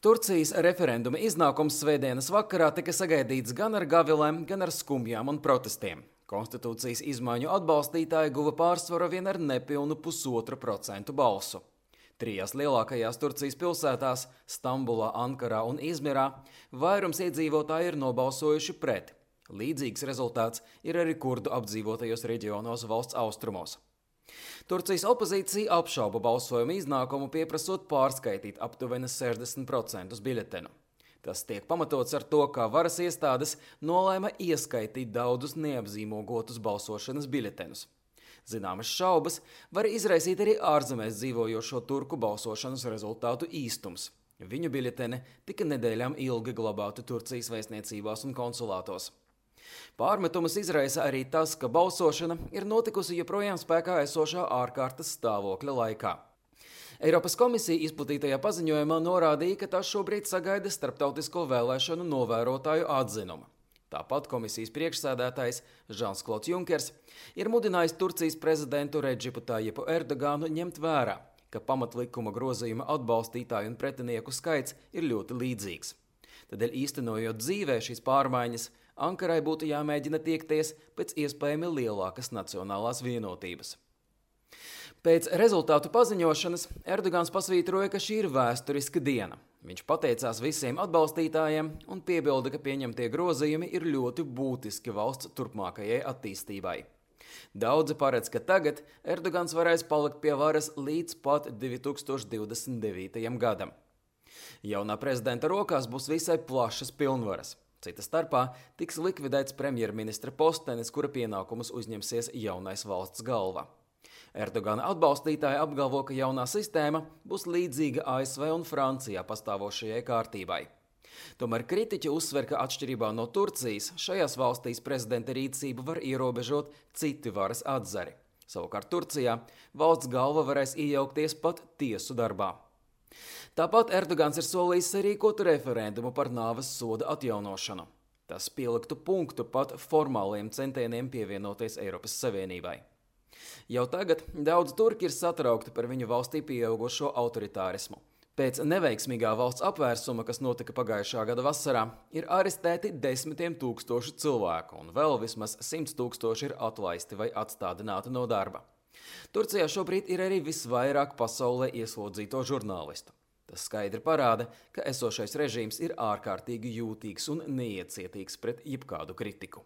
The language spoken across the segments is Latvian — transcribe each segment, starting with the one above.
Turcijas referenduma iznākums svētdienas vakarā tika sagaidīts gan ar gavilēm, gan ar skumjām un protestiem. Konstitūcijas izmaiņu atbalstītāji guva pārsvaru vien ar nepilnu 1,5% balsu. Trijās lielākajās Turcijas pilsētās – Stambulā, Ankarā un Izmirā – vairums iedzīvotāji ir nobalsojuši pret. Līdzīgs rezultāts ir arī kurdu apdzīvotajos reģionos valsts austrumos. Turcijas opozīcija apšauba balsojuma iznākumu, pieprasot pārskaitīt aptuveni 60% biļetenu. Tas tiek pamatots ar to, ka varas iestādes nolēma ieskaitīt daudzus neapzīmogotus balsošanas biļetenus. Zināmas šaubas var izraisīt arī ārzemēs dzīvojošo turku balsošanas rezultātu īstums. Viņu biļeteni tika nedēļām ilgi glabāti Turcijas vēstniecībās un konsulātos. Pārmetumus izraisa arī tas, ka balsošana ir notikusi joprojām spēkā esošā ārkārtas stāvokļa laikā. Eiropas komisija izplatītajā paziņojumā norādīja, ka tā šobrīd sagaida starptautisko vēlēšanu novērotāju atzinumu. Tāpat komisijas priekšsēdētājs Žans-Klods Junkers ir mudinājis Turcijas prezidentu Redžipu Tajipu Erdoganu ņemt vērā, ka pamatlikuma grozījuma atbalstītāju un pretinieku skaits ir ļoti līdzīgs. Tādēļ īstenojot dzīvē šīs pārmaiņas, Ankarai būtu jāmēģina tiekties pēc iespējami lielākas nacionālās vienotības. Pēc rezultātu paziņošanas Erdogans pasvītroja, ka šī ir vēsturiska diena. Viņš pateicās visiem atbalstītājiem un piebilda, ka pieņemtie grozījumi ir ļoti būtiski valsts turpmākajai attīstībai. Daudzi paredz, ka tagad Erdogans varēs palikt pie varas līdz pat 2029. gadam. Jaunā prezidenta rokās būs visai plašas pilnvaras. Cita starpā tiks likvidēts premjerministra postenis, kura pienākumus uzņemsies jaunais valsts galva. Erdogana atbalstītāji apgalvo, ka jaunā sistēma būs līdzīga ASV un Francijā pastāvošajai kārtībai. Tomēr kritiķi uzsver, ka atšķirībā no Turcijas šajās valstīs prezidenta rīcību var ierobežot citi varas atzari. Savukārt Turcijā valsts galva varēs iejaukties pat tiesu darbā. Tāpat Erdogans ir solījis sarīkot referendumu par nāves soda atjaunošanu. Tas pieliktu punktu pat formāliem centieniem pievienoties Eiropas Savienībai. Jau tagad daudz turki ir satraukti par viņu valstī pieaugušo autoritārismu. Pēc neveiksmīgā valsts apvērsuma, kas notika pagājušā gada vasarā, ir arestēti 10 000 cilvēku un vēl vismaz 100 000 ir atlaisti vai atstādināti no darba. Turcijā šobrīd ir arī visvairāk pasaulē ieslodzīto žurnālistu. Tas skaidri parāda, ka esošais režīms ir ārkārtīgi jūtīgs un neiecietīgs pret jebkādu kritiku.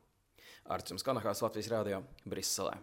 Arts Kanahās, Latvijas Rādio, Briselē.